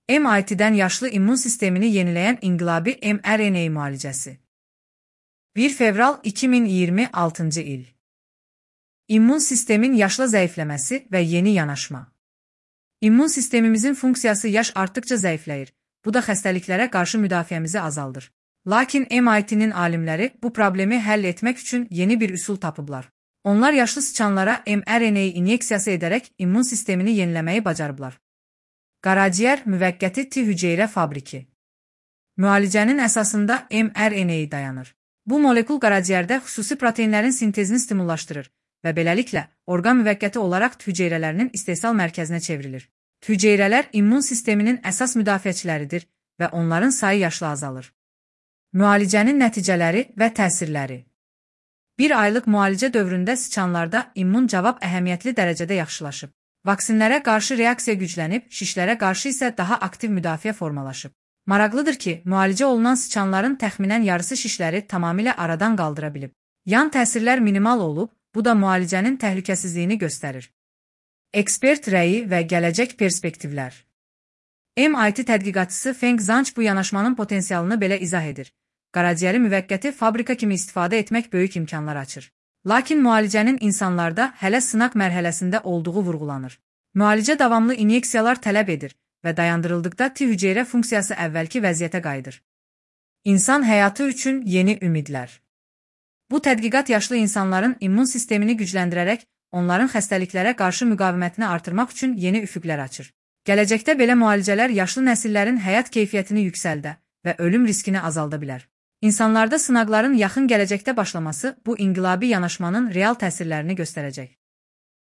MIT-dən yaşlı immun sistemini yeniləyən inqilabi mRNA müalicəsi. 1 fevral 2026-cı il. İmmun sistemin yaşla zəifləməsi və yeni yanaşma. İmmun sistemimizin funksiyası yaş artdıqca zəifləyir. Bu da xəstəliklərə qarşı müdafiəmizi azaldır. Lakin MIT-nin alimləri bu problemi həll etmək üçün yeni bir üsul tapıblar. Onlar yaşlı sıçanlara mRNA inyeksiyası edərək immun sistemini yeniləməyi bacarıblar. Qaraciyər müvəqqəti T hüceyrə fabriki. Müalicənin əsasında mRNA dayanır. Bu molekul qaraciyərdə xüsusi proteinlərin sintezini stimullaşdırır və beləliklə orqan müvəqqəti olaraq T hüceyrələrinin istehsal mərkəzinə çevrilir. T hüceyrələr immun sisteminin əsas müdafiəçiləridir və onların sayı yaşla azalır. Müalicənin nəticələri və təsirləri. 1 aylıq müalicə dövründə sıçanlarda immun cavab əhəmiyyətli dərəcədə yaxşılaşıb. Vaksinlərə qarşı reaksiya güclənib, şişlərə qarşı isə daha aktiv müdafiə formalaşıb. Maraqlıdır ki, müalicə olunan sıçanların təxminən yarısı şişləri tamamilə aradan qaldıra bilib. Yan təsirlər minimal olub, bu da müalicənin təhlükəsizliyini göstərir. Ekspert rəyi və gələcək perspektivlər. MIT tədqiqatçısı Feng Zhang bu yanaşmanın potensialını belə izah edir. Qaraciyəri müvəqqəti fabrika kimi istifadə etmək böyük imkanlar açır. Lakin müalicənin insanlarda hələ sınaq mərhələsində olduğu vurğulanır. Müalicə davamlı inyeksiyalar tələb edir və dayandırıldıqda T hüceyrə funksiyası əvvəlki vəziyyətə qayıdır. İnsan həyatı üçün yeni ümidlər. Bu tədqiqat yaşlı insanların immun sistemini gücləndirərək onların xəstəliklərə qarşı müqavimətini artırmaq üçün yeni üfüqlər açır. Gələcəkdə belə müalicələr yaşlı nəsillərin həyat keyfiyyətini yüksəldə və ölüm riskini azalda bilər. İnsanlarda sınaqların yaxın gələcəkdə başlaması bu inqilabi yanaşmanın real təsirlərini göstərəcək.